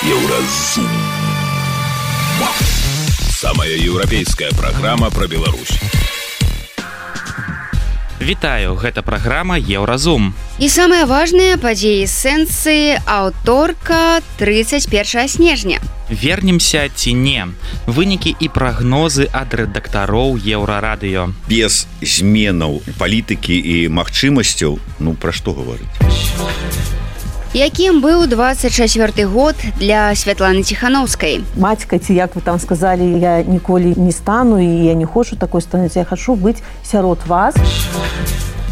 Еўразум. Самая еўрапейская праграма пра Беларусь. Вітаю, гэта праграма Еўразум. І самыя важныя падзеі сэнсы аўторка 31 снежня. Вернемся ці не. Вынікі і прагнозы ад рэдактароў Еўрарадыё. Без зменаў палітыкі і магчымасцяў, пра што гаварыць? Якім быў 24 год для Святланы Ціхановскай? Мацька, ці як вы там сказалі, я ніколі не стану, і я не хочу такой стануць, я хочу быць сярод вас.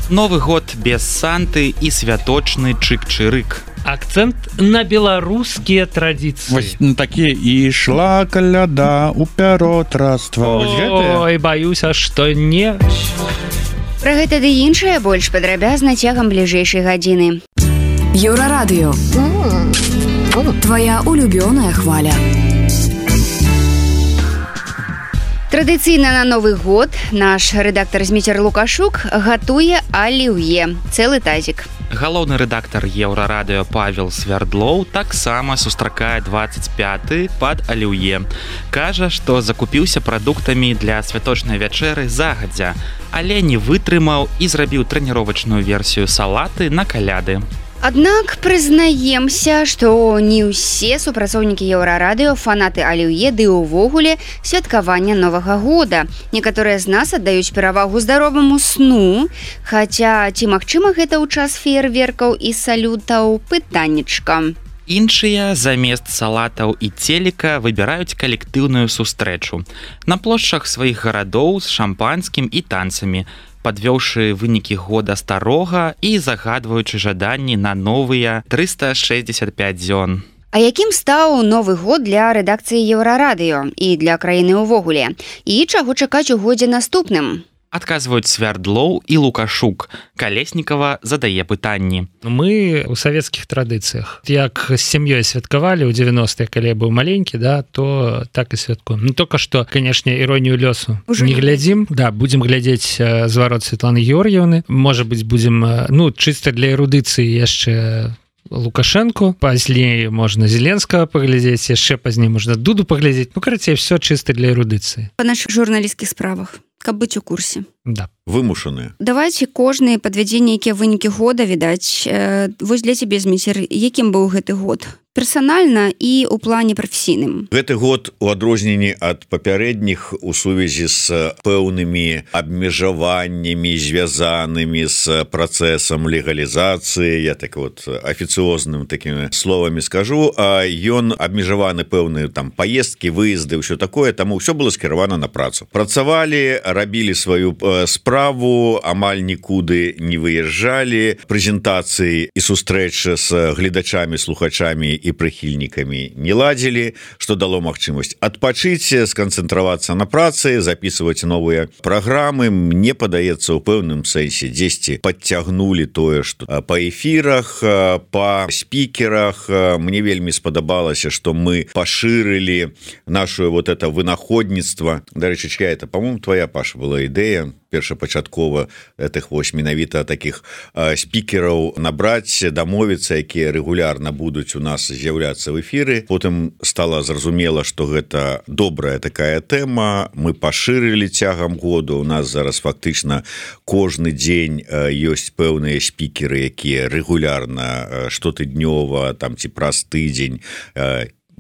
Новы год без Санты і святочны чык-чырык. Акцэнт на беларускія традыцыі. Вось такі ішла каляда у пяротраства. Ой, баюся, што не. Пра гэта ды іншае больш падрабязна цягам бліжэйшай гадзіны. Еўрарадыё. Твоя улюбёная хваля. Традыцыйна на Новы год наш рэдактар Зміцер Лукашук гатуе аліўе, цэлы тазік. Галоўны рэдактар Еўрарадыё Павел Свярдлоў таксама сустракае 25-й пад аліўе. Кажа, што закупіўся прадуктамі для святочнай вячэры загадзя, але не вытрымаў і зрабіў трэніровачную версію салаты на каляды. Аднак прызнаемся, што не ўсе супрацоўнікі Еўрарадыё фанаты аліўе ды ўвогуле святкавання Новага года. Некаторыя з нас аддаюць перавагу здароваму сну, хаця ці магчыма гэта ў час феерверкаў і салютаў, пытаннечка. Іншыя замест салатаў і целіка выбіраюць калектыўную сустрэчу на плошчах сваіх гарадоў з шампанскім і танцамі, падвёўшы вынікі года старога і загадваючы жаданні на новыя 365 дзён. А якім стаў Новы год для рэдакцыі Еўрарадыё і для краіны ўвогуле? І чаго чакаць у годзе наступным? Адказваюць Свярдлоў і Лукашук. Калеснікава задае пытанні. Мы ў савецкіх традыцыях. Як з сям'ёй святкавалі ў 90-е, калі я быў маленькі, то так і святкуем. Толькі што, канешне, іронію лёсу не глядзім. Будзем глядзець зварот Святланы Георгіевны. Можа быць, будзем, чыста для эрудыцыі яшчэ Лукашенко, пазней можна Зеленскага паглядзець, яшчэ пазней можна Дуду паглядзець. Карацей, все чыста для эрудыцыі. Па нашых журналісцкіх справах, каб быць у курсе. Да. Вымушаныя. Давайце кожныя падвядзенні, якія вынікі года, відаць. Вось для цябе, Зміцер, якім быў гэты год? Персанальна і ў плане прафесійным. Гэты год у адрозненні ад папярэдніх у сувязі з пэўнымі абмежаваннямі, звязанымі з працэсам легалізацыі, я так афіцыозным такімі словамі скажу, ён абмежаваны пэўныя там паездкі, выезды, ўсё такое, таму ўсё было скіравана на працу. Працавалі, рабілі сваю справу, амаль нікуды не выязджалі, прэзентацыі і сустрэчы з гледачамі, слухачамі і прыхільнікамі не ладзілі, што дало магчымасць адпачыць, сканцэнтравацца на працы, запісваць новыя праграмы. Мне падаецца, у пэўным сэнсе дзесьці падцягнулі тое, што па эфірах, па спікерах. Мне вельмі спадабалася, што мы пашырылі нашу это вынаходніцтва. Дарэчы, это, по-моему, твоя, Паша, была ідэя першапачаткова этих менавіта таких спікераў набраць, дамовіцца, якія рэгулярна будуць у нас з'яўляцца в эфіры. Потым стала зразумела, што гэта добрая такая тэма. Мы пашырылі цягам году. У нас зараз фактычна кожны дзень ёсць пэўныя спікеры, якія рэгулярна штотыднёва там ці праз тыдзень,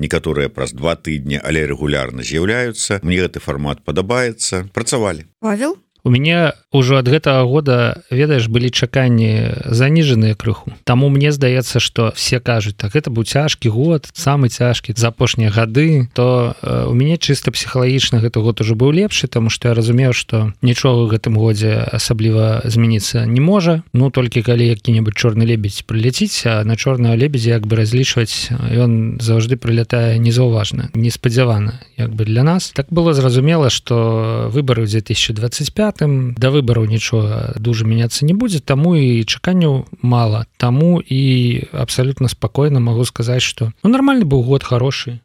некаторыя праз 2 тыдні, але рэгулярна з'яўляюцца. Мне гэты фармат падабаецца. Працавалі. Павел? У мяне ўжо ад гэтага года, ведаеш, былі чаканні заніжаныя крыху. Таму мне здаецца, што все кажуць, так, гэта быў цяжкі год, самы цяжкі за апошнія гады, то у мяне чыста псіхалагічна гэты год ужо быў лепшы, таму што я разумеў, што нічога ў гэтым годзе асабліва змяніцца не можа. Толькі калі які-небудзь чорны лебедзь прыляціць, а на чорнага лебедзя як бы разлічваць, ён заўжды прылятае незаўважна, неспадзявана як бы для нас. Так было зразумела, што выбары ў 2025 да выбараў нічога дужа мяняцца не будзе, таму і чаканняў мала. Таму і абсалютна спакойна магу сказаць, што нармальны быў год, хорошы.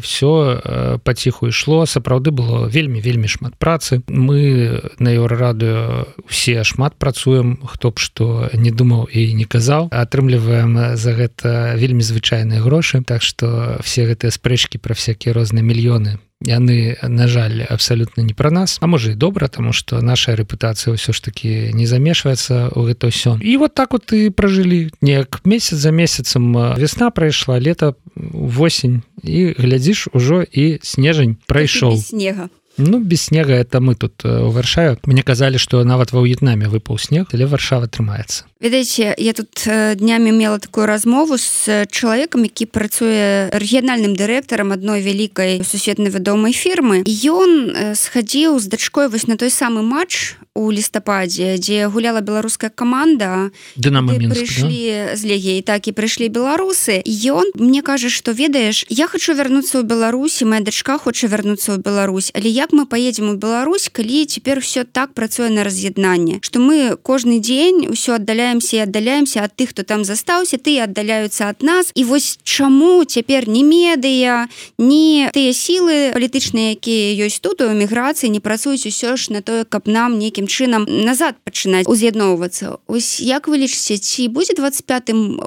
все паціху ішло, сапраўды было вельмі шмат працы. Мы на Еўрарадыё усе шмат працуем, хто б што не думаў і не казаў, атрымліваем за гэта вельмі звычайныя грошы, так што все гэтыя спрэчкі пра всякія розныя мільёны, яны, на жаль, абсалютна не пра нас, а можа і добра, таму што наша рэпутацыя ўсё ж такі не замешваецца ў гэта ўсё. І вот так вот і пражылі, неяк месяц за месяцам весна прайшла, лета, восень, і глядзіш, ужо і снежань прайшоў. Без снега. Ну, без снега это мы тут у Варшаве. Мне казалі, што нават ва В'етнаме выпаў снег, але Варшава трымаецца. Ведаеце, я тут днямі мела такую размову з чалавекам, які працуе рэгіянальным дырэктарам адной вялікай сусветнай вядомай фірмы. Ён схадзіў з дачкой вось на той самы матч у лістападзе, дзе гуляла беларуская каманда. Дынамо Мінск, прыйшлі з Легіі, так і прыйшлі беларусы. Ён мне кажа, што ведаеш, я хачу вярнуцца ў Беларусь, і моя дачка хоча вярнуцца ў Беларусь, але як мы паедзем у Беларусь, калі цяпер ўсё так працуе на раз'яднанне, што мы кожны дзень ўсё аддаляемся ад тых, хто там застаўся, тыя аддаляюцца ад нас. І вось чаму цяпер ні медыя, ні тыя сілы палітычныя, якія ёсць тут у эміграцыі, не працуюць усё ж на тое, каб нам нейкім чынам назад пачынаць уз'ядноўвацца. Ось як вы лічыце, ці будзе 25-м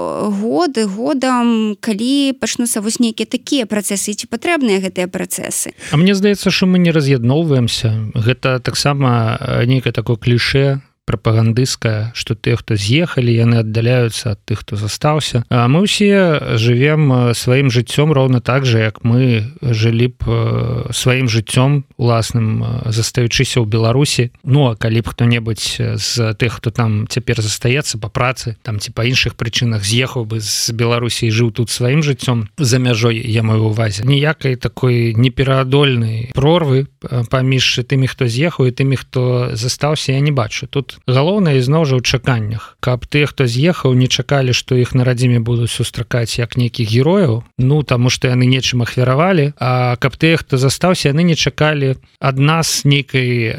годам, калі пачнуцца вось нейкія такія працэсы, ці патрэбныя гэтыя працэсы? А мне здаецца, што мы не раз'ядноўваемся. Гэта таксама нейкае такое клішэ прапагандысцкая, што тыя, хто з'ехалі, яны аддаляюцца ад тых, хто застаўся. А мы ўсе жывем сваім жыццём роўна так жа, як мы жылі б сваім жыццём уласным, застаючыся ў Беларусі. Ну, а калі б хто-небудзь з тых, хто там цяпер застаецца па працы, там ці па іншых прычынах з'ехаў бы з Беларусі і жыў тут сваім жыццём за мяжой, я маю ўвазе. Ніякай такой непераадольнай прорвы паміж тымі, хто з'ехаў, і тымі, хто застаўся, я не бачу. Тут галоўнае ізноў жа ў чаканнях, каб тыя, хто з'ехаў, не чакалі, што іх на радзіме будуць сустракаць як нейкіх герояў, ну таму што яны нечым ахвяравалі, а каб тыя, хто застаўся, яны не чакалі ад нас нейкай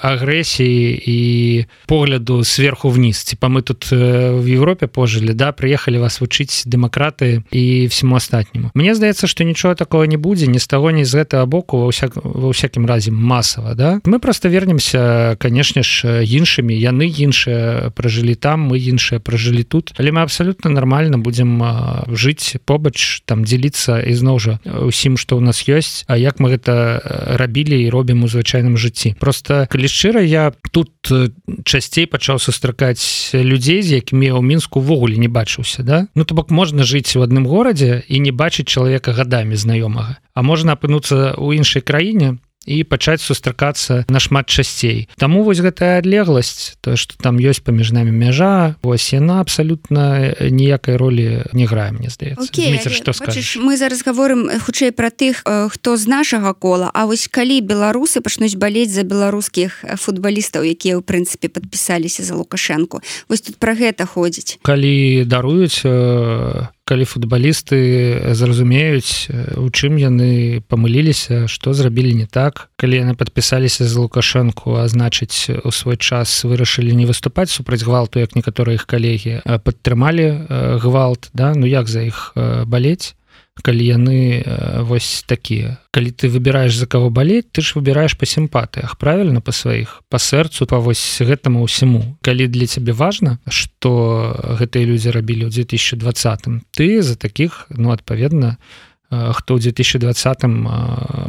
агрэсіі і погляду сверху вниз. Типа мы тут в Европе пожылі, да, прыехалі вас вучыць дэмакратыі і всему астатняму. Мне здаецца, што нічога такого не будзе ні з таго, ні з гэтага боку, ва ўсякім разе масава, да. Мы проста вернемся, канешне ж, іншымі. Яны іншыя пражылі там, мы іншыя пражылі тут, але мы абсалютна нармальна будзем жыць побач, там дзеліцца ізноў жа усім, што ў нас ёсць, а як мы гэта рабілі і робім у звычайным жыцці. Просто, калі шчыра, я тут часцей пачаў сустракаць людзей, з якімі я ў Мінску ўвогуле не бачыўся, да? Ну, то бок можна жыць у адным горадзе і не бачыць чалавека гадамі знаёмага, а можна апынуцца ў іншай краіне і пачаць сустракацца нашмат часцей. Таму вось гэтая адлегласць, то, што там ёсць паміж намі мяжа, вось яна абсалютна ніякай ролі не грае, мне здаецца. Дміцер, што скажаш? Мы зараз гаворым хутчэй пра тых, хто з нашага кола, а вось калі беларусы пачнуць балець за беларускіх футбалістаў, якія ў прынцыпе падпісаліся за Лукашэнку, вось тут пра гэта ходзіць. Калі даруюць, калі футбалісты зразумеюць, у чым яны памыліліся, што зрабілі не так, калі яны падпісаліся за Лукашэнку, а значыць, у свой час вырашылі не выступаць супраць гвалту, як некаторыя іх калегі, падтрымалі гвалт, да? Ну як за іх балець, калі яны вось такія. Калі ты выбіраеш за каго балець, ты ж выбіраеш па сімпатыях, правільна, па сваіх, па сэрцу, па вось гэтаму ўсяму. Калі для цябе важна, што гэтыя людзі рабілі ў 2020-м, ты за такіх, ну, адпаведна, хто ў 2020-м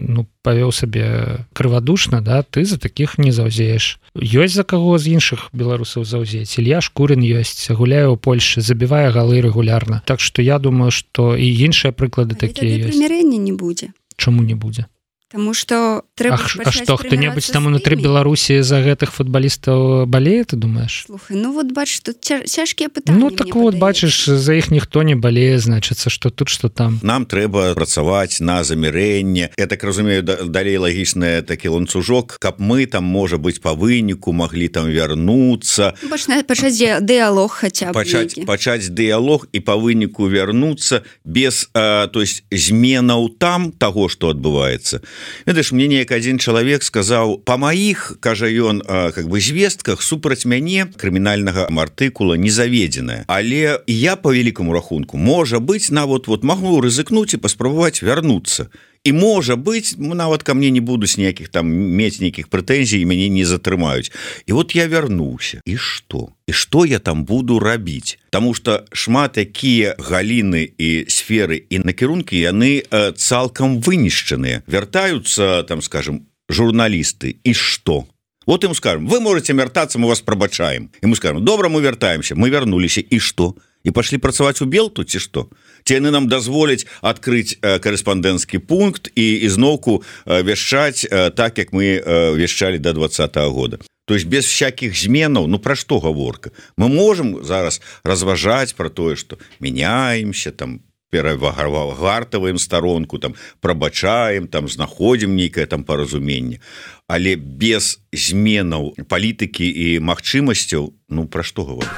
ну, павёў сабе крывадушна, да, ты за такіх не заўзееш. Ёсць за каго з іншых беларусаў заўзець. Ілья Шкурын ёсць, гуляе ў Польшы, забівае галы рэгулярна. Так што я думаю, што і іншыя прыклады такія ёсць. Прымірэння не будзе. Чаму не будзе? Таму што трэба А што, хто-небудзь там унутры Беларусі за гэтых футбалістаў балее, ты думаеш? Слухай, ну вот бачыш, тут цяжкія пытанні. Ну так вот, бачыш, за іх ніхто не балее, значыцца, што тут, што там. Нам трэба працаваць на замірэнне. Я так разумею, далей лагічны такі ланцужок, каб мы там, можа быць, па выніку маглі там вярнуцца. Пачаць дыялог хаця б. Пачаць дыялог і па выніку вярнуцца без, то есть, зменаў там таго, што адбываецца. Ведаеш, мне неяк адзін чалавек сказаў, па маіх, кажа ён, как бы звестках супраць мяне крымінальнага артыкула не заведзеная, але я по вялікаму рахунку можа быць нават вот магу рызыкнуць і паспрабаваць вярнуцца. І можа быць, нават ко мне не будуць ніякіх там мець нейкіх прэтэнзій і мяне не затрымаюць. І вот я вярнуўся. І што? І што я там буду рабіць? Таму што шмат якія галіны і сферы і накірункі яны цалкам вынішчаныя. Вяртаюцца, там, скажем, журналісты. І што? Вот им скажем, вы можете вяртацца, мы вас прабачаем. І мы скажем, добра, мы вяртаемся. Мы вярнуліся. І што? І пашлі працаваць у Белту, ці што? Ці яны нам дазволяць адкрыць карэспандэнцкі пункт і зноўку вяшчаць так, як мы вяшчалі до 2020 года. То есть без всяких зменаў, ну пра што гаворка? Мы можем зараз разважаць пра тое, што мяняемся, там, перавагартаваем старонку, там, прабачаем, там, знаходзім нейкае там паразуменне. Але без зменаў палітыкі і магчымасцяў, ну пра што гаворка?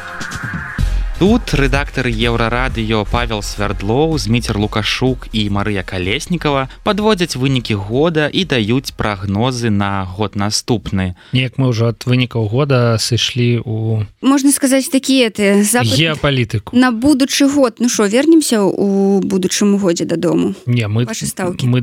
Тут рэдактары Еўрарадыё Павел Свярдлоў, Зміцер Лукашук і Марыя Калеснікава падводзяць вынікі года і даюць прагнозы на год наступны. Неяк мы ўжо ад вынікаў года сышлі ў... Можна сказаць, такія геапалітыку. На будучы год. Ну што, вернемся ў будучым годзе дадому? Не, мы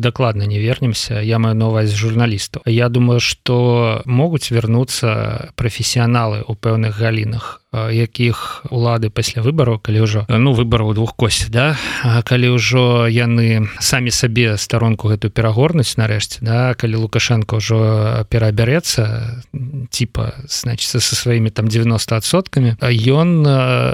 дакладна не вернемся. Я маю на увазе журналістаў. Я думаю, што могуць вярнуцца прафесіяналы ў пэўных галінах, якіх улады пасля выбараў, калі ўжо выбараў двух косць, да? Калі ўжо яны самі сабе старонку гэту перагорнуць нарэшце, да? Калі Лукашенко ўжо перабярэцца типа, значит, со сваімі там 90%, ён,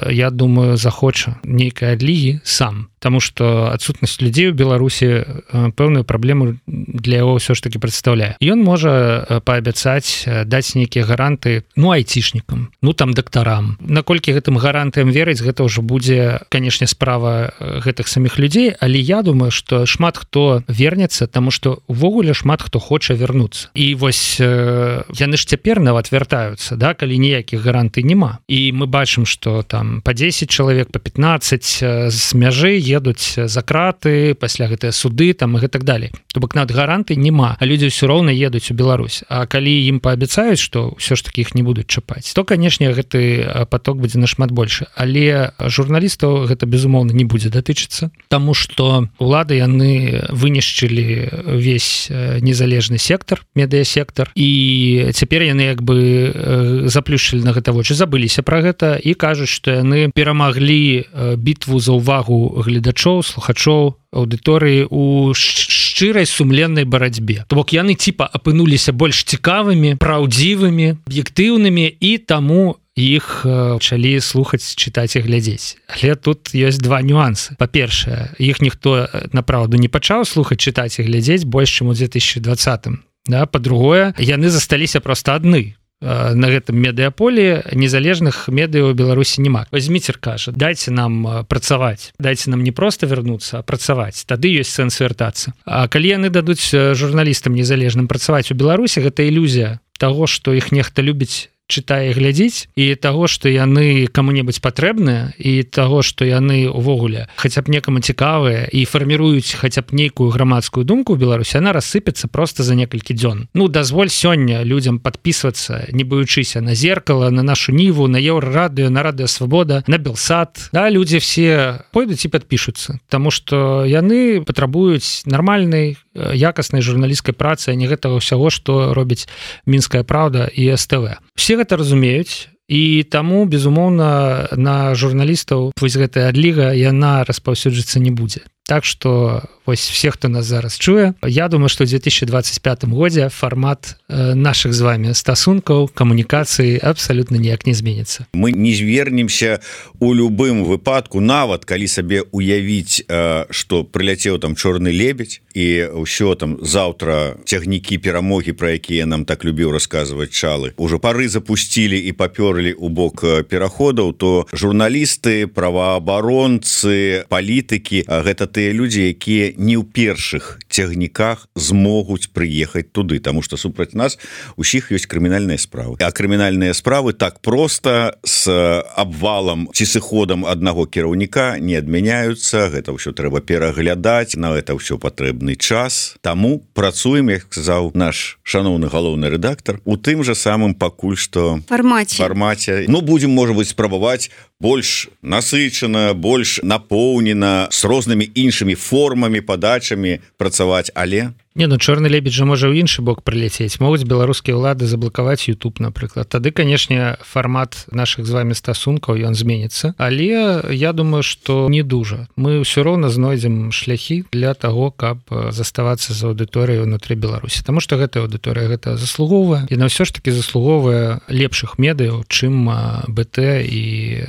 я думаю, захоча нейкай адлігі сам. Потому что адсутнасць людзей у Беларусі пэўную праблему для яго ўсё ж таки прадстаўляе. Ён можа паабяцаць даць нейкія гаранты, айцішнікам, там дактарам. Наколькі гэтым гарантыям верыць, гэта ўжо будзе, канешне, справа гэтых саміх людзей, але я думаю, што шмат хто вернецца, таму што увогуле шмат хто хоча вярнуцца. І вось яны ж цяпер нават вяртаюцца, да, калі ніякіх гарантый няма. І мы бачым, што там па 10 чалавек, па 15 з мяжы едуць за краты, пасля гэтыя суды там і так далей. То бок нават гарантый няма, а людзі ўсё роўна едуць у Беларусь. А калі ім паабяцаюць, што ўсё ж таки іх не будуць чапаць, то, канешне, гэты поток будзе нашмат больше. Але журналістаў гэта, безумоўна, не будзе датычыцца, таму што улады яны вынішчылі весь незалежны сектор, медыасектор, і цяпер яны як бы заплюшчылі на гэта вочы, забыліся пра гэта і кажуць, што яны перамаглі бітву за ўвагу гледачоў, слухачоў, аўдыторыі у шчырай сумленнай барацьбе. То бок яны типа апынуліся больш цікавымі, праўдзівымі, аб'ектыўнымі, і таму іх пачалі слухаць, чытаць і глядзець. Але тут ёсць два нюансы. Па-першае, іх ніхто направду не пачаў слухаць, чытаць і глядзець больш, чым у 2020. Да? Па-другое, яны засталіся проста адны. На гэтым медыаполі незалежных медыа ў Беларусі няма. Зміцер кажа, дайце нам працаваць, дайце нам не проста вярнуцца, а працаваць. Тады ёсць сэнс вяртацца. А калі яны дадуць журналістам незалежным працаваць у Беларусі, гэта ілюзія таго, што іх нехта любіць, чытае і глядзіць, і таго, што яны каму-небудзь патрэбныя, і таго, што яны увогуле хаця б некаму цікавыя і фарміруюць хаця б нейкую грамадскую думку ў Беларусі, яна рассыпецца проста за некалькі дзён. Дазволь сёння людзям падпісвацца, не баючыся на Зеркала, на нашу Ніву, на Еўрарадыё, на Радыё Свабода, на Белсат. Да, людзі все пойдуць і падпішуцца, таму што яны патрабуюць нармальнай, якаснай журналісцкай працы, а не гэтага ўсяго, што робіць Мінская Праўда і СТВ. Все гэта разумеюць, і таму, безумоўна, на журналістаў вось гэтая адліга, яна распаўсюджыцца не будзе. Так што вось все, хто нас зараз чуе, я думаю, што ў 2025 годзе фармат нашых з вами стасункаў, камунікацыі абсалютна ніяк не зменіцца. Мы не звернемся у любым выпадку, нават калі сабе уявіць, што прыляцеў там чорны лебедь і ўсё там заўтра цягнікі перамогі, пра якія нам так любіў расказваць Чалы, ужо пары запусцілі і папёрлі ў бок пераходаў, то журналісты, праваабаронцы, палітыкі гэта тыя людзі, якія не ў першых цягніках змогуць прыехаць туды, таму што супраць нас усіх ёсць крымінальныя справы. А крымінальныя справы так проста з абвалам ці сыходам аднаго кіраўніка не адмяняюцца, гэта ўсё трэба пераглядаць, на гэта ўсё патрэбны час. Таму працуем, як сказаў наш шаноўны галоўны рэдактар, у тым жа самым пакуль што фармаце. Ну, будзем, можа быць, спрабаваць больш насычана, больш напоўнена, з рознымі іншымі формамі, падачамі працаваць, але... Не, ну чорны лебедь жа можа ў іншы бок прыляцець. Могуць беларускія ўлады заблакаваць YouTube, напрыклад. Тады, канешне, фармат нашых з вами стасункаў, ён зменіцца. Але я думаю, што не дужа. Мы ўсё роўна знойдзем шляхі для таго, каб заставацца з аўдыторыяй унутры Беларусі. Таму што гэтая аўдыторыя гэта заслугоўвае. І на ўсё ж такі заслугоўвае лепшых медыяў, чым БТ і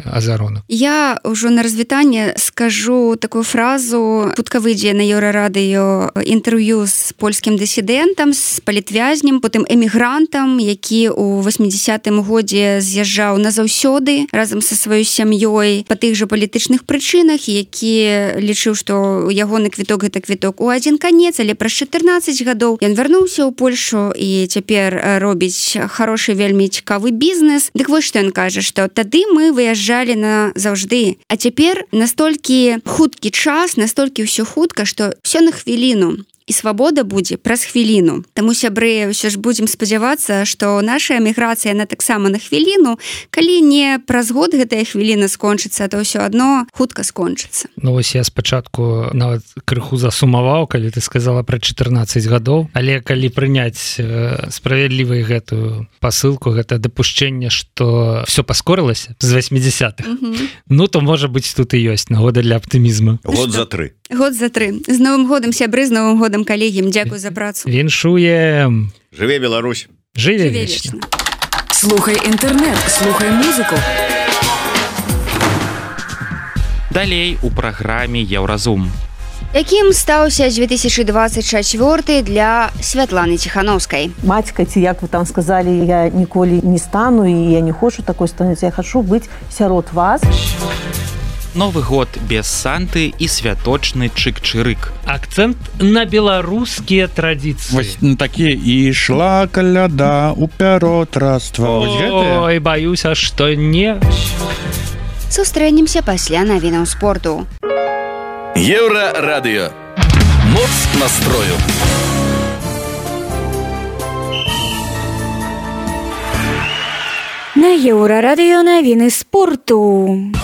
Азаронак. Я ўжо на развітанне скажу такую фразу. Хутка выйдзе на Еўрарадыё інтэрв'ю з польскім дысідэнтам, з палітвязнем, потым эмігрантам, які ў 80-м годзе з'язджаў назаўсёды разам са сваёй сям'ёй па тых жа палітычных прычынах, які лічыў, што ягоны квіток гэта квіток у адзін канец, але праз 14 гадоў ён вярнуўся ў Польшу і цяпер робіць хорошы, вельмі цікавы бізнес. Дык вось што ён кажа, што тады мы выязджалі назаўжды, а цяпер настолькі хуткі час, настолькі ўсё хутка, што ўсё на хвіліну. І свабода будзе праз хвіліну. Таму, сябры, ўсё ж будзем спадзявацца, што наша эміграцыя на таксама на хвіліну, калі не праз год гэтая хвіліна скончыцца, то ўсё адно хутка скончыцца. Ну вось я спачатку нават крыху засумаваў, калі ты сказала пра 14 гадоў, але калі прыняць справядлівай гэтую пасылку, гэта дапушчэнне, што ўсё паскорылася з 80-х, ну то можа быць тут і ёсць нагода для аптымізму. Год за 3. Год за 3. З Новым годам, сябры, з Новым годам, калегі. Дзякуй за працу. Віншуем. Жыве Беларусь. Жыве вечна. Слухай інтэрнэт, слухай музыку. Далей у праграме Еўразум. Якім стаўся 2024 для Святланы Ціхановскай? Матька, ці як вы там сказалі, я ніколі не стану, і я не хочу такой стануць, я хочу быць сярод вас. Новы год без Санты і святочны чык-чырык. Акцэнт на беларускія традыцыі. Вось такія і ішла каляда у пяротраства. Ой, баюся, што не. Сустрэнемся пасля навінаў спорту. Еўрарадыё. Моц настрою. На Еўрарадыё навіны спорту.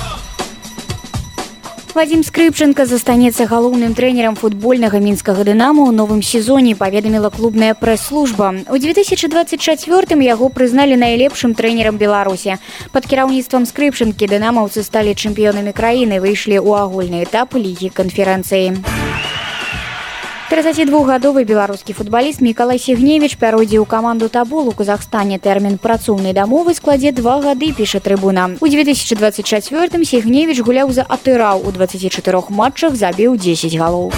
Вадзім Скрыпченко застанецца галоўным трэнерам футбольнага мінскага «Дынамо» ў новым сезоне, паведаміла клубная прэс-служба. У 2024-м яго прызналі найлепшым трэнерам Беларусі. Пад кіраўніцтвам Скрыпченкі дынамаўцы сталі чэмпіёнамі краіны, выйшлі ў агульны этап лігі канферэнцыі. 32-гадовы беларускі футбаліст Мікалай Сігневіч пяройдзе ў каманду «Табол» у Казахстане. Тэрмін працоўнай дамовы складзе 2 гады, піша Трыбуна. У 2024-м Сігневіч гуляў за Атырау, у 24 матчах забіў 10 галоў.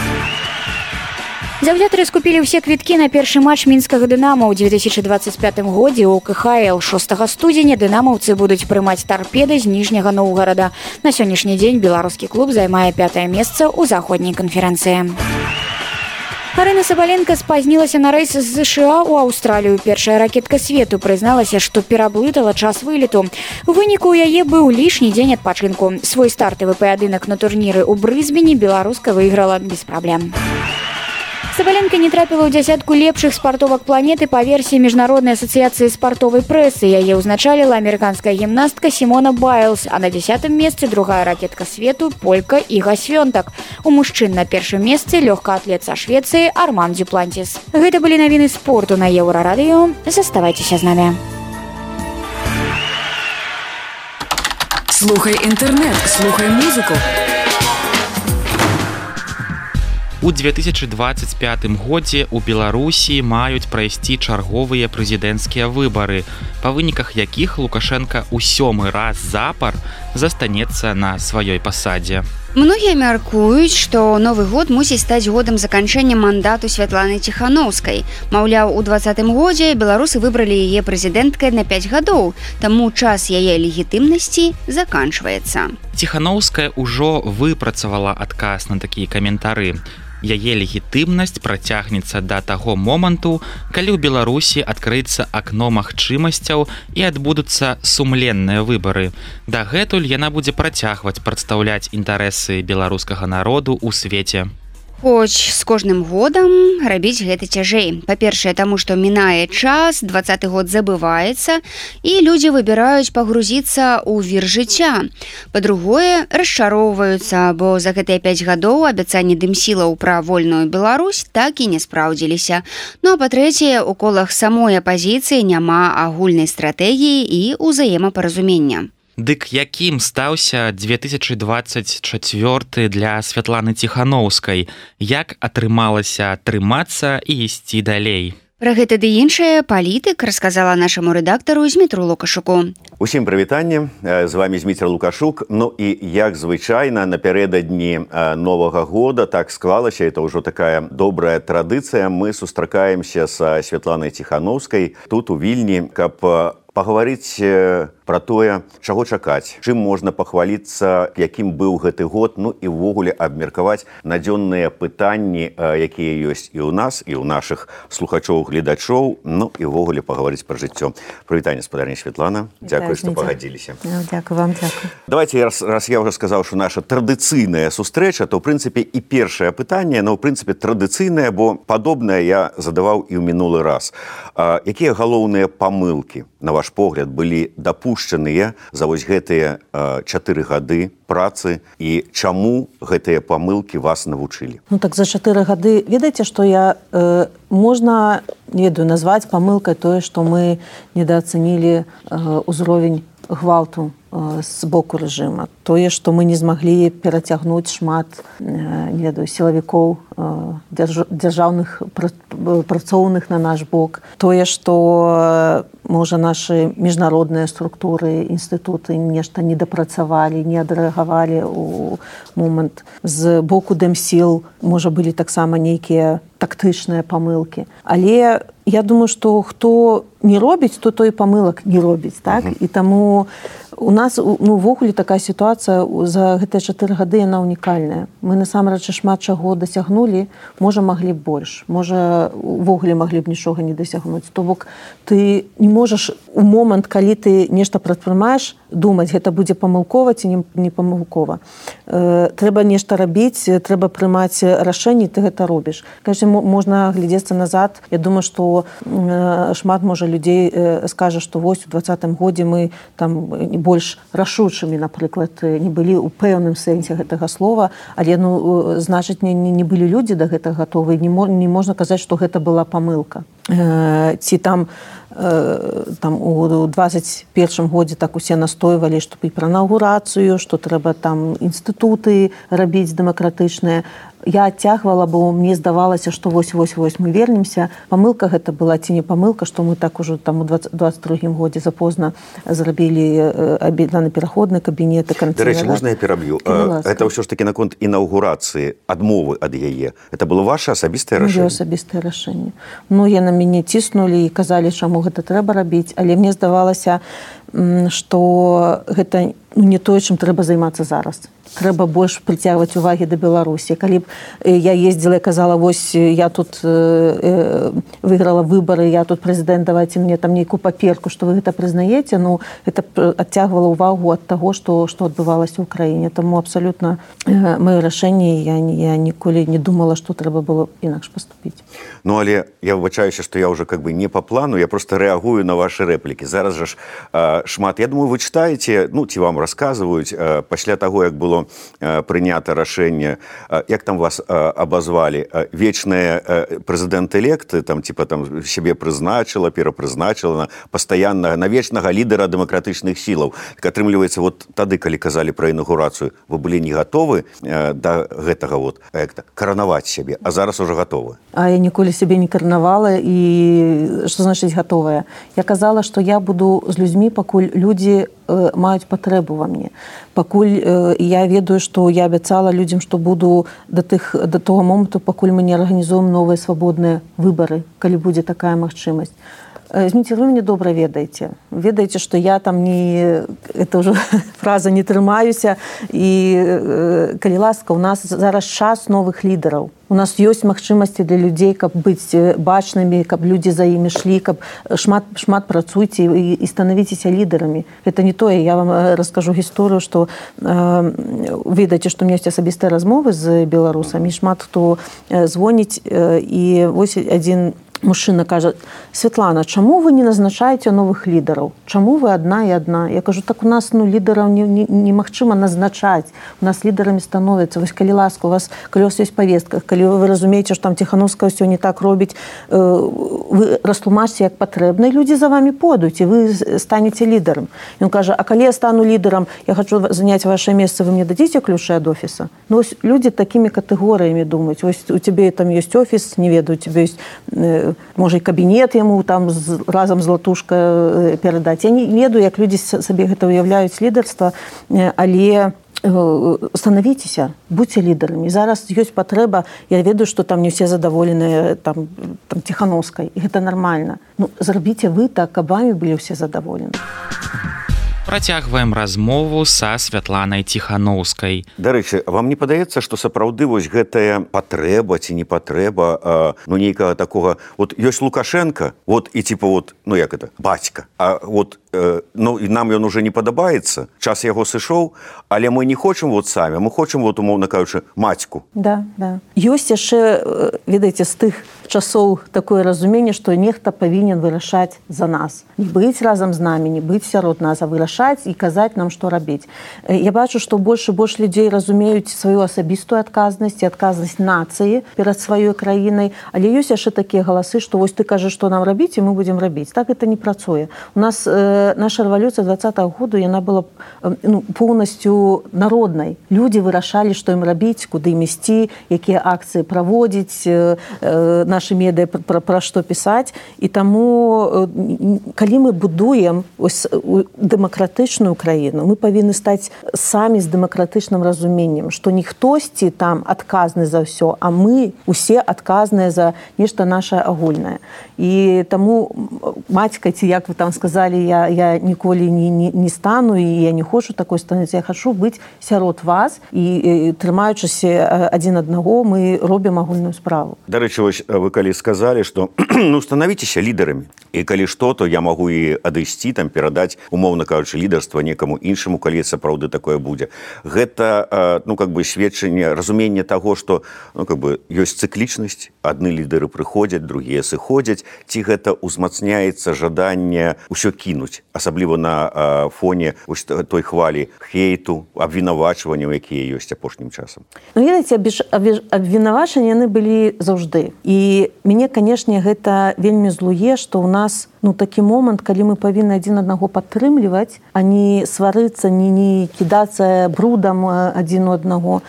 Заўзятары скупілі ўсе квіткі на першы матч мінскага «Дынамо» ў 2025 годзе ў КХЛ. 6 студзеня дынамаўцы будуць прымаць «Тарпеда» з Ніжняга Новгарада. На сённяшні дзень беларускі клуб займае 5-е месца ў заходняй канферэнцыі. Арына Сабаленка спазнілася на рэйс з США ў Аўстралію. Першая ракетка свету прызналася, што пераблытала час вылету. У выніку ў яе быў лішні дзень адпачынку. Свой стартавы паядынак на турніры ў Брысбене беларуска выйграла без праблем. Сабаленка не трапіла ў дзясятку лепшых спартовак планеты па версіі Міжнароднай асацыяцыі спартовай прэсы. Яе ўзначаліла амерыканская гімнастка Сімона Байлз, а на 10-м месцы другая ракетка свету полька Іга Свёнтак. У мужчын на першым месцы лёгкаатлет са Швецыі Арман Дюплантіс. Гэта былі навіны спорту на Еўрарадыё. Заставайцеся з намі. Слухай інтэрнэт, слухай музыку. У 2025 годзе ў Беларусі маюць прайсці чарговыя прэзідэнцкія выбары, па выніках якіх Лукашенка ў 7-й раз запар застанецца на сваёй пасадзе. Многія мяркуюць, што новы год мусіць стаць годам заканчэння мандату Святланы Ціханаўскай. Маўляў, у 2020 годзе беларусы выбралі яе прэзідэнткай на 5 гадоў, таму час яе легітымнасці заканчваецца. Ціханаўская ўжо выпрацавала адказ на такія каментары. Яе легітымнасць працягнецца да таго моманту, калі ў Беларусі адкрыецца акно магчымасцяў і адбудуцца сумленныя выбары. Дагэтуль яна будзе працягваць прадстаўляць інтарэсы беларускага народу ў свеце. Хоць з кожным годам рабіць гэта цяжэй. Па-першае, таму што мінае час, 20-й год забываецца, і людзі выбіраюць пагрузіцца ў вір жыцця. Па-другое, расчароўваюцца, бо за гэтыя 5 гадоў абяцанні дымсілаў пра вольную Беларусь так і не спраўдзіліся. Ну а па-трэцяе, у колах самой апазіцыі няма агульнай стратэгіі і ўзаемапаразумення. Дык якім стаўся 2024 для Святланы Ціханаўскай? Як атрымалася трымацца і ісці далей? Пра гэта ды іншае палітык расказала нашаму рэдактару Змітру Лукашуку. Усім прывітанне, з вами Зміцер Лукашук. Ну і як звычайна напярэдадні Новага года так склалася, это ўжо такая добрая традыцыя. Мы сустракаемся са Святланай Ціханаўскай тут у Вільні, каб пагаварыць пра тое, чаго чакаць, чым можна пахваліцца, якім быў гэты год, ну і ўвогуле абмеркаваць надзённыя пытанні, якія ёсць і ў нас, і ў нашых слухачоў-гледачоў, ну і ўвогуле пагаварыць пра жыццё. Прывітанне, спадарня Святлана. Дзякуй, што пагадзіліся. Дзякуй вам, дзякуй. Давайте, раз я ўжо сказаў, што наша традыцыйная сустрэча, то, ў прынцыпе, і першае пытанне, но, ў прынцыпе, традыцыйнае, бо падобнае я задаваў і ў мінулы раз. Якія галоўныя памылкі, на ваш погляд, былі дапушчаныя за вось гэтыя 4 гады працы і чаму гэтыя памылкі вас навучылі? Ну так за 4 гады, ведаеце, што я можна, не ведаю, назваць памылкай тое, што мы недаацанілі ўзровень гвалту з боку рэжыма. Тое, што мы не змаглі перацягнуць шмат, не ведаю, сілавікоў дзяржаўных працоўных на наш бок. Тое, што можа нашы міжнародныя структуры, інстытуты нешта не дапрацавалі, не адрэагавалі ў момант. З боку дэмсіл, можа, былі таксама нейкія тактычныя памылкі. Але я думаю, што хто не робіць, то той памылак не робіць, так? І таму у нас, ну, ввогуле такая сітуацыя за гэтыя 4 гады, яна унікальная. Мы насамрэч шмат чаго дасягнулі, можа, маглі б больш, можа, увогуле маглі б нічога не дасягнуць. То бок, ты не можаш у момант, калі ты нешта прадпрымаеш, думаць, гэта будзе памылкова ці не памылкова. Трэба нешта рабіць, трэба прымаць рашэнні, ты гэта робіш. Кажа, можна глядзецца назад. Я думаю, што шмат, можа, людзей скажа, што вось у 2020 годзе мы там больш рашучымі, напрыклад, не былі ў пэўным сэнсе гэтага слова, але, ну, значыць, не былі людзі да гэтага гатовы, не можна казаць, што гэта была памылка. Ці там у 21 годзе так усе настойвалі, што і пра інаўгурацыю, што трэба там інстытуты рабіць дэмакратычныя. Я адцягвала, бо мне здавалася, што вось мы вернемся. Памылка гэта была ці не памылка, што мы так ужо там у 22 годзе запозна зрабілі пераходны кабінет. Дарэчы, можна я пераб'ю? Гэта ўсё ж такі наконт інаўгурацыі, адмовы ад яе. Гэта было ваше асабістае рашэнне? Моё асабістае рашэнне. Многія на мяне ціснулі і казалі, чаму гэта трэба рабіць, але мне здавалася, што гэта не тое, чым трэба займацца зараз. Трэба больш прыцягваць увагі да Беларусі. Калі б я ездзіла і казала, вось я тут выйграла выбары, я тут прэзідэнт, давайце мне там нейкую паперку, што вы гэта прызнаеце, ну, гэта адцягвала ўвагу ад таго, што адбывалася ў краіне. Таму абсалютна маё рашэнне, я ніколі не думала, што трэба было інакш паступіць. Ну, але я выбачаюся, што я ўжо как бы не па плану, я просто рэагую на вашы рэплікі. Зараз жа ж шмат, я думаю, вы чытаеце, ну, ці вам расказваюць, пасля таго, як было прынята рашэнне, як там вас абазвалі, вечныя прэзідэнт-электы, там, типа, там, сябе прызначыла, перапрызначыла пастаянна на вечнага лідара дэмакратычных сілаў. Так атрымліваецца, вот тады, калі казалі пра інаўгурацыю, вы былі не гатовы да гэтага вот, каранаваць сябе, а зараз ужо гатовы. А я ніколі сябе не каранавала, і што значыць гатовая? Я казала, што я буду з людзьмі пакуль людзі маюць патрэбу ва мне. Пакуль я ведаю, што я абяцала людзям, што буду да того моманту, пакуль мы не арганізуем новыя свабодныя выбары, калі будзе такая магчымасць. Зміцер, вы мяне добра ведаеце. Ведаеце, што я там не... Это ўжо фраза «не трымаюся». І, калі ласка, у нас зараз час новых лідараў. У нас ёсць магчымасці для людзей, каб быць бачнымі, каб людзі за імі шлі, каб шмат працуйце і станавіцеся лідарамі. Это не тое. Я вам раскажу гісторыю, што ведаеце, што у меня ёсць асабістыя размовы з беларусамі. Шмат хто звоніць, і вось адзін мужчына кажа: Святлана, чаму вы не назначаеце новых лідараў? Чаму вы адна і адна? Я кажу, так у нас лідараў немагчыма назначаць. У нас лідарамі становяцца. Вось калі ласка, у вас, калі у вас ёсць павестка, калі вы разумееце, што там Ціхановская ўсё не так робіць, вы растлумачце, як патрэбна, і людзі за вами пойдуць, і вы станеце лідарам. Ён кажа, а калі я стану лідарам, я хочу заняць ваше месца, вы мне дадзіце ключы ад офіса? Ну, вось людзі такімі катэгорыямі думаюць. Вось у цябе там ёсць офіс, не ведаю, у цябе ёсць можа, і кабінет яму там разам з латушка перадаць. Я не ведаю, як людзі сабе гэта уяўляюць лідарства, але станавіцеся, будьце лідарамі. Зараз ёсць патрэба, я ведаю, што там не ўсе задаволеныя там Ціхановскай, і гэта нармальна. Ну, зрабіце вы так, каб вамі былі ўсе задаволены. Працягваем размову са Святланай Ціхановскай. Дарэчы, вам не падаецца, што сапраўды вось гэтая патрэба ці не патрэба, ну, нейкага такога... Вот ёсць Лукашенко, вот, і типа вот, ну, як это, бацька, а вот, ну, і нам ён уже не падабаецца, час яго сышоў, але мы не хочам вот самі, мы хочам, вот, умоўна кажучы, мацьку. Да, да. Ёсць яшчэ, ведаеце, з тых часоў такое разуменне, што нехта павінен вырашаць за нас. Не быць разам з намі, не быць сярод нас, а вырашаць і казаць нам, што рабіць. Я бачу, што больш і больш людзей разумеюць сваю асабістую адказнасць і адказнасць нацыі перад сваёй краінай, але ёсць яшчэ такія галасы, што вось ты кажаш, што нам рабіць, і мы будзем рабіць. Так гэта не працуе. У нас наша рэвалюцыя 20-го году, яна была поўнасцю народнай. Людзі вырашалі, што ім рабіць, куды ім ісці, якія акцыі праводзіць, нашы медыа пра што пісаць. І таму, калі мы будуем дэмакратычную краіну, мы павінны стаць самі з дэмакратычным разуменнем, што не хтосьці там адказны за ўсё, а мы усе адказныя за нешта нашае агульнае. І таму мацька, ці як вы там сказалі, я ніколі не стану, і я не хочу такой стануць. Я хочу быць сярод вас, і трымаючыся адзін аднаго, мы робім агульную справу. Дарэчы, вось вы калі сказалі, што ну, становіцеся лідарамі, і калі што, то я магу і адысці, там, перадаць, умоўна кажучы, лідарства некаму іншаму, калі сапраўды такое будзе. Гэта, ну, как бы, сведчанне, разуменне таго, што, ну, как бы, ёсць цыклічнасць, адны лідары прыходзяць, другія сыходзяць, ці гэта ўзмацняецца жаданне ўсё кінуць, асабліва на фоне ось той хвалі хейту, абвінавачванняў, якія ёсць апошнім часам. Ну, ведаеце, абвінавачванні яны былі заўжды. І мяне, канешне, гэта вельмі злуе, што ў нас, ну, такі момант, калі мы павінны адзін аднаго падтрымліваць, а не сварыцца, не кідацца брудам адзін у аднаго.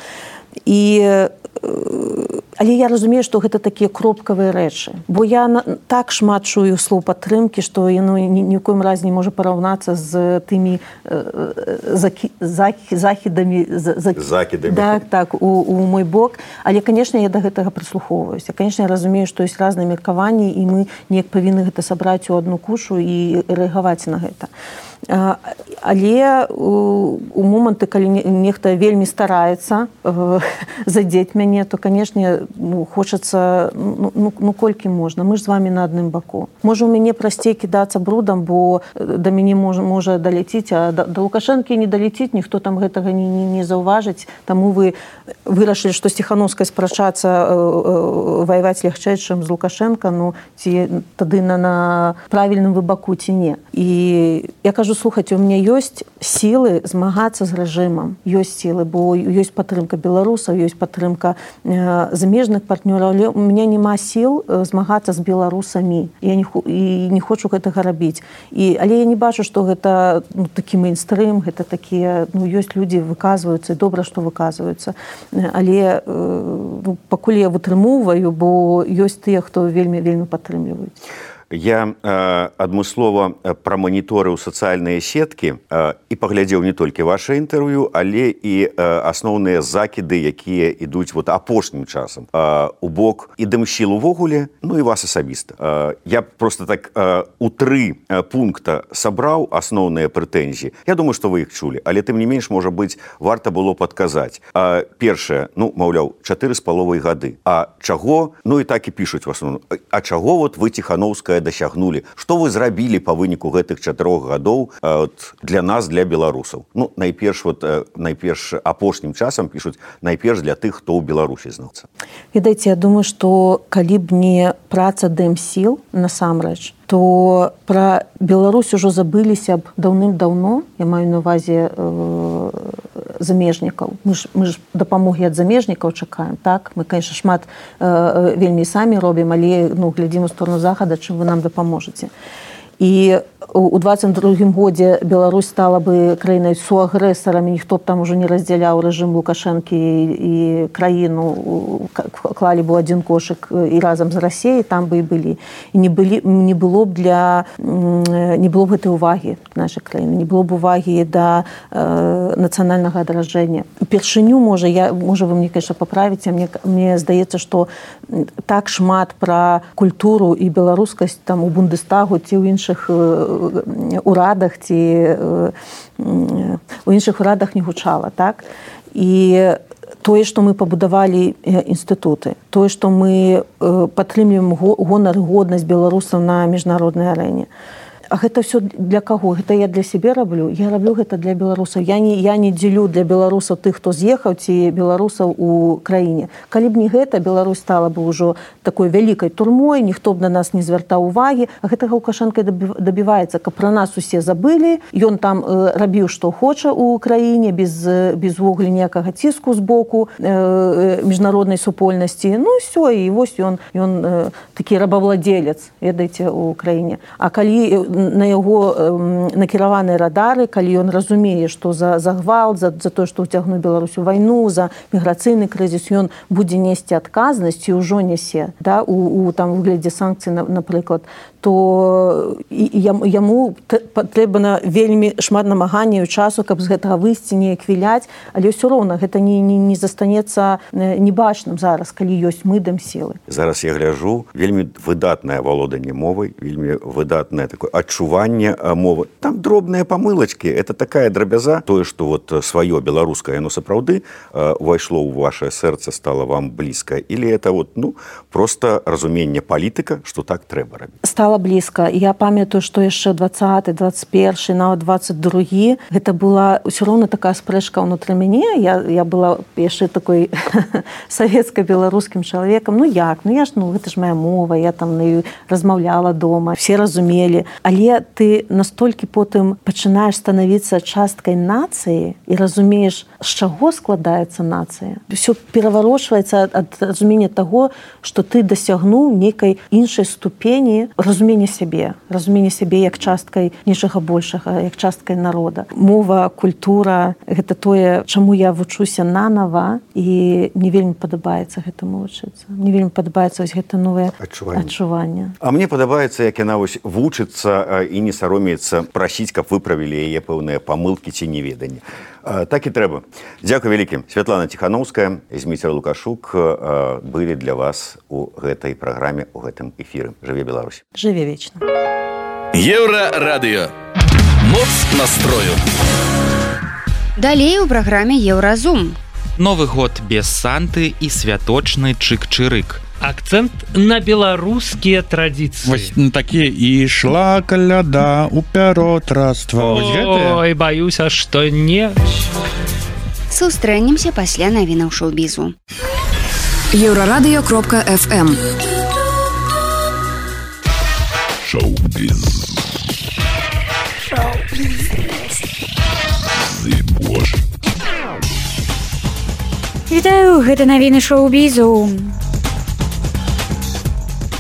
Але я разумею, што гэта такія кропкавыя рэчы. Бо я так шмат чую слоў падтрымкі, што яно ні ў коім разе не можа параўнацца з тымі закідамі. Так, у мой бок. Але, канешне, я да гэтага прыслухоўваюся. Канешне, я разумею, што ёсць разныя меркаванні, і мы неяк павінны гэта сабраць у адну кушу і рэагаваць на гэта. Але у моманты, калі нехта вельмі стараецца задзець мяне, то, канешне, хочацца, ну, колькі можна. Мы ж з вамі на адным баку. Можа, у мяне прасцей кідацца брудам, бо да мяне можа даляціць, а да Лукашэнкі не даляціць, ніхто там гэтага не заўважыць. Таму вы вырашылі, што з Ціхановскай спрачацца, ваяваць лягчэй, чым з Лукашэнка, ну, ці тады на правільным вы баку, ці не. І я кажу, слухайце, у мяне ёсць сілы змагацца з рэжымам. Ёсць сілы, бо ёсць падтрымка беларусаў, ёсць падтрымка замежных партнёраў, але у мяне няма сіл змагацца з беларусамі. Я не хочу гэтага рабіць. Але я не бачу, што гэта, ну, такі мейнстрым, гэта такія, ну, ёсць людзі выказваюцца, і добра, што выказваюцца. Але пакуль я вытрымоўваю, бо ёсць тыя, хто вельмі падтрымліваюць. Я адмыслова праманіторыў сацыяльныя сеткі і паглядзеў не толькі ваше інтэрв'ю, але і асноўныя закіды, якія ідуць вот апошнім часам у бок і дэмсіл увогуле, ну і вас асабіста. Я просто так у 3 пункта сабраў асноўныя прэтэнзіі. Я думаю, што вы іх чулі, але тым не менш, можа быць, варта было падказаць. Першае, ну, маўляў, 4,5 гады. А чаго? Ну і так і пішуць в асноўным. А чаго вот вы, Ціхановская, дасягнулі? Што вы зрабілі па выніку гэтых 4 гадоў для нас, для беларусаў? Ну, найперш апошнім часам пішуць, найперш для тых, хто ў Беларусі знаецца. Ведаеце, я думаю, што калі б не праца дэмсіл насамрэч, то пра Беларусь ужо забыліся б даўным-даўно, я маю на ўвазе замежнікаў. Мы ж дапамогі ад замежнікаў чакаем, так? Мы, конечно, шмат вельмі самі робім, але глядзім у сторону захада, чым вы нам дапаможаце. І у 22-м годзе Беларусь стала бы краінай суагрэсарам, ніхто б там ужо не раздзяляў рэжым Лукашэнкі і краіну, клалі бы ў адзін кошык і разам з Расіяй, там бы і былі. І не было б гэтай увагі нашай краіны, не было б увагі да нацыянальнага адраджэння. Упершыню, можа вы мне, конечно, паправіце, мне здаецца, што так шмат пра культуру і беларускасць там у Бундестагу ці ў іншых урадах ці у іншых урадах не гучала, так? І тое, што мы пабудавалі інстытуты, тое, што мы падтрымліваем гонар і годнасць беларусаў на міжнароднай арэне. А гэта ўсё для каго? Гэта я для сябе раблю? Я раблю гэта для беларусаў. Я не дзелю для беларусаў тых, хто з'ехаў, ці беларусаў у краіне. Калі б не гэта, Беларусь стала бы ўжо такой вялікай турмой, ніхто б на нас не звяртаў увагі. А гэтага Лукашэнка дабіваецца, каб пра нас усе забылі. Ён там рабіў, што хоча ў краіне, без увогуле ніякага ціску з боку міжнароднай супольнасці. Ну, ўсё, і вось ён такі рабавладзелец, ведаеце, у краіне. А калі на яго накіраваныя радары, калі ён разумее, што за гвалт, за тое, што ўцягнуў Беларусь у вайну, за міграцыйны крызіс, ён будзе несці адказнасць і ўжо нясе, да, у выглядзе санкцый, напрыклад, то яму патрэбна вельмі шмат намаганняў часу, каб з гэтага выйсці, неяк віляць, але ўсё роўна гэта не застанецца небачным зараз, калі ёсць мы дэмсілы. Зараз я гляджу, вельмі выдатнае валоданне мовай, вельмі выдатнае такое адчуванне мовы. Там дробныя памылачкі, это такая драбяза, тое, што вот сваё беларускае, яно сапраўды увайшло ў вашае сэрца, стала вам блізка, или это вот, ну, просто разуменне палітыка, што так трэба рабіць? Стала блізка. Я памятаю, што яшчэ 20, 21, нават 22, гэта была ўсё роўна такая спрэчка ўнутры мяне. Я была яшчэ такой савецка-беларускім чалавекам. Ну як? Ну гэта ж моя мова, я там размаўляла дома, все разумелі. Але ты настолькі потым пачынаеш станавіцца часткай нацыі і разумееш, з чаго складаецца нацыя. Усё пераварочваецца ад разумення таго, што ты дасягнуў нейкай іншай ступені разумення сябе як часткай нечага большага, як часткай народа. Мова, культура — гэта тое, чаму я вучуся нанава, і мне вельмі падабаецца гэтаму вучыцца. Мне вельмі падабаецца вось гэта новае адчуванне. А мне падабаецца, як яна вось вучыцца і не саромеецца прасіць, каб выправілі яе пэўныя памылкі ці неведанні. Так і трэба. Дзякуй вялікім. Святлана Ціхановская і Зміцер Лукашук былі для вас у гэтай праграме, у гэтым эфіры. Жыве Беларусь. Жыве вечна. Еўрарадыё. Моц настрою. Далей у праграме Еўразум. Новы год без Санты і святочны чык-чырык. Акцэнт на беларускія традыцыі. Вось такія і ішла каляда ў пяротраства. Ой, баюся, што не. Сустрэнемся пасля навінаў шоу-бізу. Еўрарадыё.фм. Шоу-біз. Вітаю, гэта навіны шоу-бізу.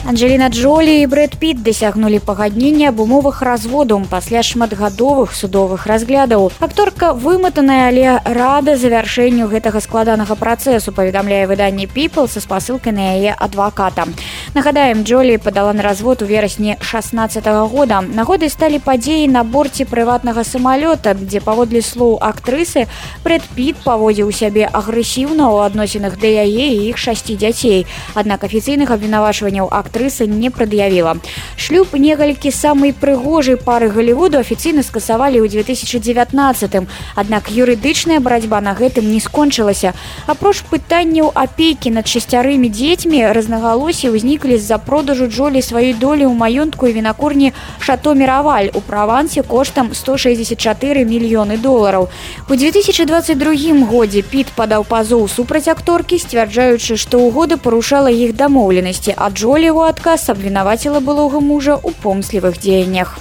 Анджеліна Джолі і Брэд Піт дасягнулі пагаднення аб умовах разводу пасля шматгадовых судовых разглядаў. Акторка выматаная, але рада завяршэнню гэтага складанага працэсу, паведамляе выданне People са спасылкай на яе адваката. Нагадаем, Джолі падала на развод у верасні 16 года. Нагодай сталі падзеі на борце прыватнага самалёта, дзе паводле слоў актрысы Брэд Піт паводзіў сябе агрэсіўна ў адносінах да яе і іх 6 дзяцей. Аднак афіцыйных абвінавачванняў актрыса не прад'явіла. Шлюб некалькі самай прыгожай пары Голлівуду афіцыйна скасавалі ў 2019-м. Аднак юрыдычная барацьба на гэтым не скончылася. Апроч пытанняў апекі над 6 дзецьмі, разнагалоссі ўзніклі з-за продажу Джолі сваёй долі ў маёнтку і вінакурні Шато Міраваль у Правансе коштам $164 мільёны. У 2022 годзе Піт падаў пазоў супраць акторкі, сцвярджаючы, што ўгода парушала іх дамоўленасці, а Джолі ў адказ абвінаваціла былога мужа ў помслівых дзеяннях.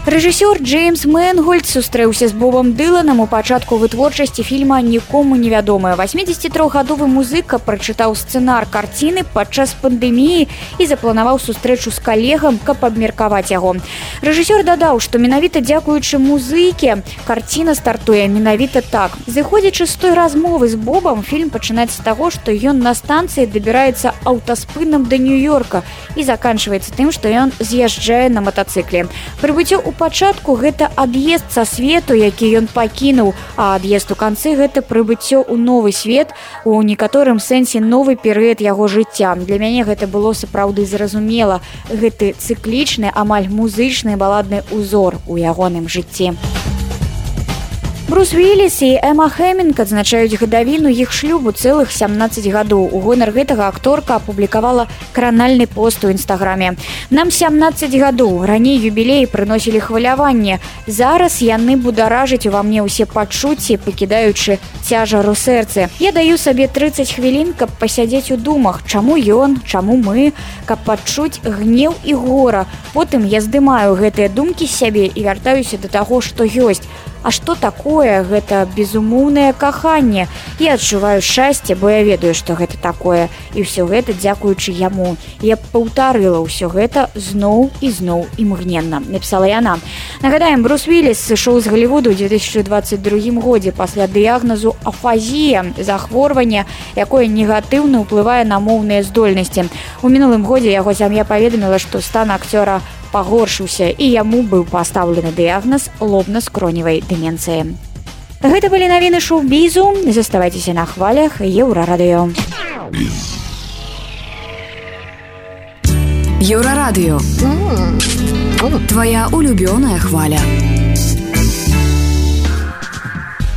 Рэжысёр Джеймс Мэнгольд сустрэўся з Бобам Дыланам у пачатку вытворчасці фільма «Нікому невядомы». 83-гадовы музыка прачытаў сцэнар карціны падчас пандэміі і запланаваў сустрэчу з калегам, каб абмеркаваць яго. Рэжысёр дадаў, што менавіта дзякуючы музыке карціна стартуе менавіта так. Зыходзячы з той размовы з Бобам, фільм пачынаецца з таго, што ён на станцыі дабіраецца аўтаспынам да Нью-Йорка і заканчваецца тым, што ён з'язджае на матацыкле. Прыбыццё у пачатку гэта ад'езд са свету, які ён пакінуў, а ад'езд у канцы гэта прыбыццё ў новы свет, у некаторым сэнсе новы перыяд яго жыцця. Для мяне гэта было сапраўды зразумела. Гэты цыклічны, амаль музычны баладны ўзор у ягоным жыцці. Брус Уілліс і Эма Хэмінг адзначаюць гадавіну іх шлюбу цэлых 17 гадоў. У гонар гэтага акторка апублікавала кранальны пост у інстаграме. Нам 17 гадоў. Раней юбілеі прыносілі хваляванне. Зараз яны бударажаць ува мне ўсе пачуцці, пакідаючы цяжар у сэрцы. Я даю сабе 30 хвілін, каб пасядзець у думах. Чаму ён, чаму мы, каб пачуць гнеў і гора. Потым я здымаю гэтыя думкі з сябе і вяртаюся да таго, што ёсць. А што такое гэта безумоўнае каханне? Я адчуваю шчасце, бо я ведаю, што гэта такое. І ўсё гэта дзякуючы яму. Я паўтарыла ўсё гэта зноў і зноў імгненна, напісала яна. Нагадаем, Брус Уілліс сышоў з Голлівуду ў 2022 годзе пасля дыягназу афазія, захворвання, якое негатыўна ўплывае на моўныя здольнасці. У мінулым годзе яго сям'я паведаміла, што стан акцёра пагоршыўся і яму быў пастаўлены дыягназ лобна-скроневай дэмэнцыі. Гэта былі навіны шоу-бізу. Заставайцеся на хвалях Еўрарадыё. Еўрарадыё. Твоя улюбёная хваля.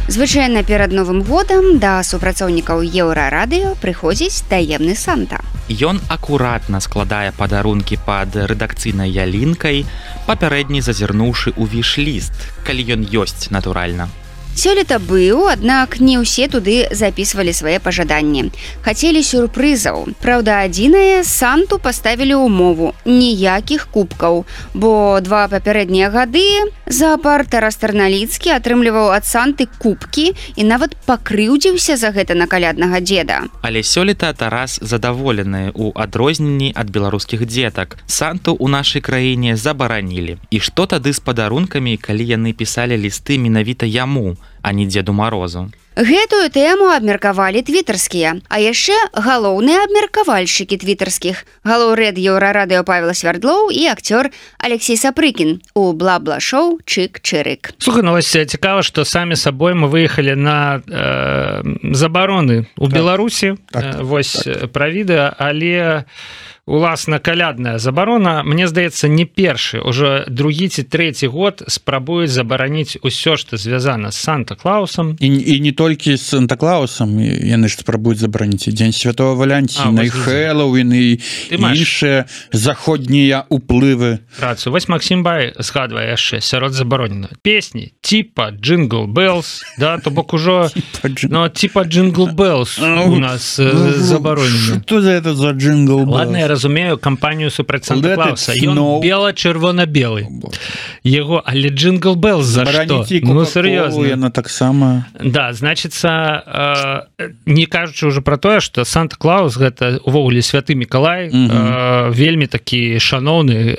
Звычайна перад Новым годам да супрацоўнікаў Еўрарадыё прыходзіць таемны Санта. Ён акуратна складае падарункі пад рэдакцыйнай ялінкай, папярэдні зазірнуўшы ў віш-ліст, калі ён ёсць, натуральна. Сёлета быў, аднак не ўсе туды запісвалі свае пажаданні. Хацелі сюрпрызаў. Праўда, адзінае, Санту паставілі ўмову ніякіх кубкаў, бо 2 папярэднія гады заапарт Тарас Тарналіцкі атрымліваў ад Санты кубкі і нават пакрыўдзіўся за гэта на каляднага дзеда. Але сёлета Тарас задаволены ў адрозненні ад беларускіх дзетак. Санту ў нашай краіне забаранілі. І што тады з падарункамі, калі яны пісалі лісты менавіта яму, а не Дзеду Марозу? Гэтую тэму абмеркавалі твітарскія, а яшчэ галоўныя абмеркавальшчыкі твітарскіх. Галоўрэд Еўрарадыё Павел Свярдлоў і акцёр Алексей Сапрыкін у бла-бла-шоу «Чык-чырык». Слухай, ну вось цікава, што самі сабой мы выехалі на забароны ў Беларусі. Вось пра відэа, але уласна калядная забарона, мне здаецца, не першы, уже другі ці трэці год спрабуюць забараніць усё, што звязана з Санта-Клаусам. І не толькі з Санта-Клаусам, яны ж спрабуюць забараніць і Дзень Святого Валянціна, і Хэллоуін, і іншыя заходнія ўплывы. Рацыю. Вось Максім Бай згадвае яшчэ сярод забароненых песні типа Jingle Bells, да, то бок ужо типа Jingle Bells у нас забаронены. Што за это за Jingle Bells? Ладно, я разумею кампанію супраць Санта-Клауса. Ён бела-чырвона-белы. Яго, але Джингл Белл за што? Ну, серьезно. Яна таксама... Да, значится, не кажучы уже про тое, што Санта-Клаус гэта увогуле святы Мікалай, вельмі такі шаноўны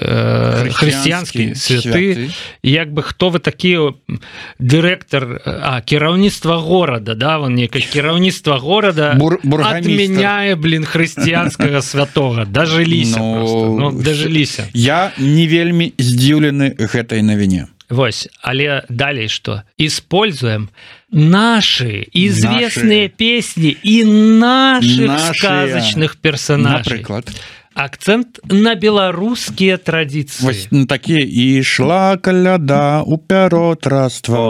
хрысціянскі святы. Як бы хто вы такі дырэктар, кіраўніцтва горада, да, вон некае кіраўніцтва горада адмяняе, хрысціянскага святога. Дажыліся просто. Ну, дажыліся. Я не вельмі здзіўлены гэтай навіне. Вось, але далей што? Используем наши известные песни и наших сказочных персонажей. Напрыклад. Акцент на беларускія традиции. Вось такие «Ішла каляда у пяротраства».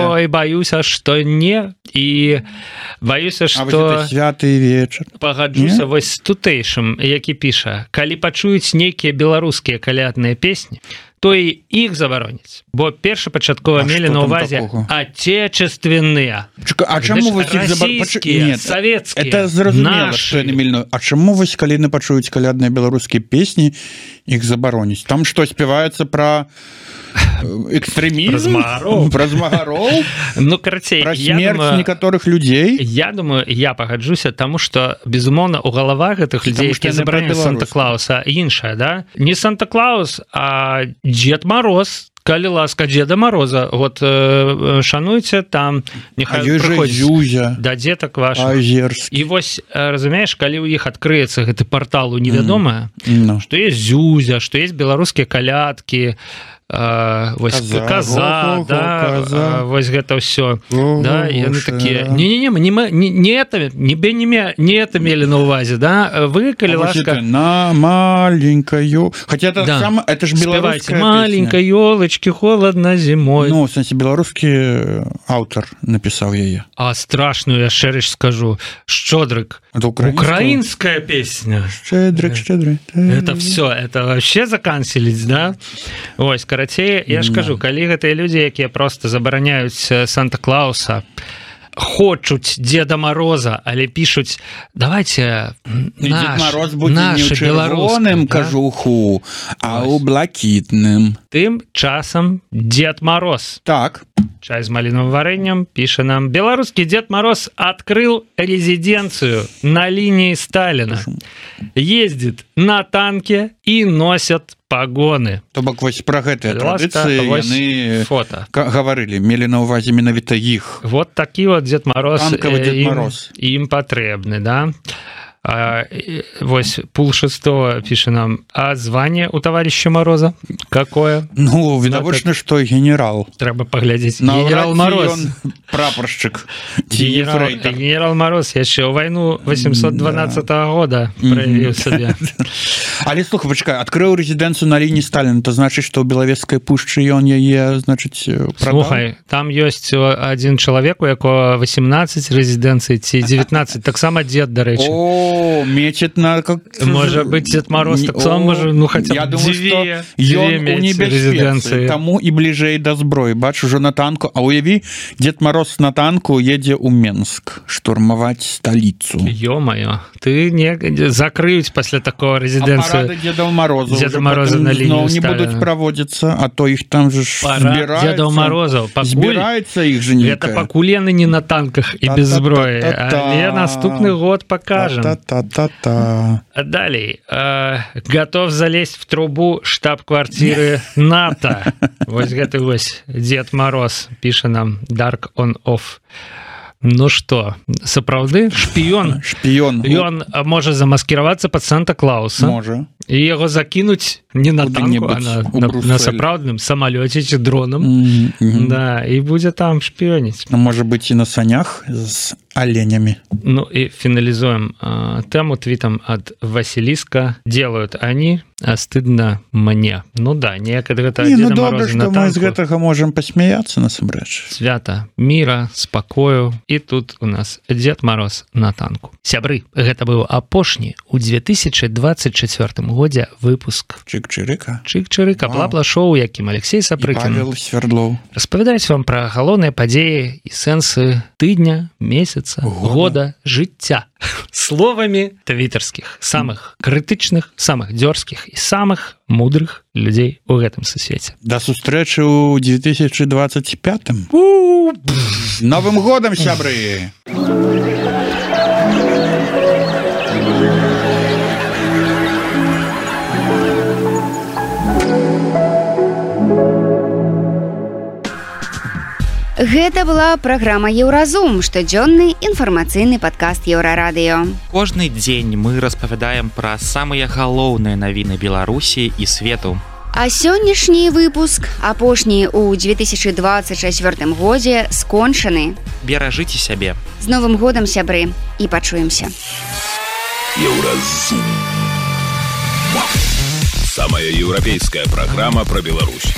Ой, боюся, что не. И боюся, что... святы вечер. Пагаджуся вось з тутэйшым, які піша. Калі пачуюць нейкія беларускія калядныя песні, то і іх забароняць. Бо першапачаткова мелі на ўвазе отечественныя. А чаму вось іх расійскія, савецкія, это зразумела, што яны мільно. А чаму вось калі не пачуюць калядныя беларускія песні, іх забароніць? Там што, спяваецца пра экстрэмізм? Пра змагароў? Ну, карацей, пра смерць некаторых людзей? Я думаю, я пагаджуся, таму што, безумоўна, у галавах гэтых людзей, якія забараняюць Санта-Клауса, іншая, да? Не Санта-Клаус, а Дед Мороз. Калі ласка Деда Мороза, вот шануйце там, нехай прыходзіць да дзетак вашых. Азерскі. І вось, разумееш, калі ў іх адкрыецца гэты партал у невядомае, што есть Зюзя, што есть беларускія калядкі, вось каза, да, вось гэта ўсё, да, яны такія, не это мелі на ўвазе, да, вы, калі ласка, на маленькаю, хотя это ж беларуская маленькая ёлочки, холодно зимой. Ну, в сэнсе, беларускі аўтар напісаў яе. А страшную яшчэ рэч скажу, Шчодрык, украинская песня. Шчедрык. Это все, это вообще заканцеліць, да? Ось, карацей, я ж кажу, калі гэтыя людзі, якія просто забараняюць Санта-Клауса, хочуць Деда Мороза, але пишуць, давайте Дед Мороз будзе не ў чырвоным кажуху, а ў блакітным. Тым часам Дед Мороз. Так. Чай з малиновым вареньем пишет нам: белорусский Дед Мороз открыл резиденцию на линии Сталина, ездит на танке и носят погоны. То бок вось пра гэтыя традыцыі яны гаварылі, мелі на ўвазе менавіта іх. Вот такі вот Дед Мороз, Дед Мороз. Им патрэбны, да? Вось пул шестого пишет нам: а звание у товарища Мороза какое? Ну, відавочна, што генерал. Трэба паглядзець. Генерал Мороз. Прапоршчык. Генерал Мороз яшчэ ў вайну 812 года праявіў сабе. Але слухай, пачакай, адкрыў рэзідэнцыю на лініі Сталіна, то значыць, што ў Белавежскай пушчы ён яе, значыць, прадаў? Слухай, там ёсць адзін чалавек, у якога 18 рэзідэнцый ці 19, таксама дзед, дарэчы. О, мечет на... Может быть, Дед Мороз так само, может, ну, хотя бы две резиденции. Тому и ближей до зброи. Бачу, уже на танку. А уяви, Дед Мороз на танку едет у Минск штурмовать столицу. Ё-моё, ты не... Закрыть после такого резиденцию. А парады Деда Мороза Деда Мороза на линию не будут проводиться, а то их там же собираются. Деда Мороза. Собирается их же некая. Это покулены не на танках и без зброи. А наступный год покажем. Далее. Готов залезть в трубу штаб-квартиры НАТО. Вот гэты вось Дед Мороз, пишет нам Dark on Off. Ну что, сапраўды шпіён. Ён можа замаскіравацца под Санта-Клауса. Можа. І яго закінуць не на танку, а на сапраўдным самалёце ці дронам. Да, і будзе там шпіёніць. Можа быць і на санях з оленями. Ну и финализуем тему твитом от Василиска. Делают они, а стыдно мне. Ну да, некогда это Деда Мороза добре, что мы из гэтага можем посмеяться насамрэч. Свята мира, спокою. И тут у нас Дед Мороз на танку. Сябры, гэта быў апошні у 2024 годзе выпуск Чик-чирика. Чик-чирика, бла-бла-шоу, якім Алексей Сапрыкін Свердлов распавядаюць вам пра галоўныя падзеі і сэнсы тыдня, месяца, месяца года жыцця словамі твітарскіх самых крытычных, самых дзёрзкіх і самых мудрых людзей у гэтым сусвеце. Да сустрэчы ў 2025 Новым годам, сябры! Гэта была праграма Еўразум, штодзённы інфармацыйны падкаст Еўрарадыё. Кожны дзень мы распавядаем пра самыя галоўныя навіны Беларусі і свету. А сённяшні выпуск, апошні ў 2024 годзе, скончаны. Беражыце сябе. З Новым годам, сябры, і пачуемся. Еўразум. Самая еўрапейская праграма пра Беларусь.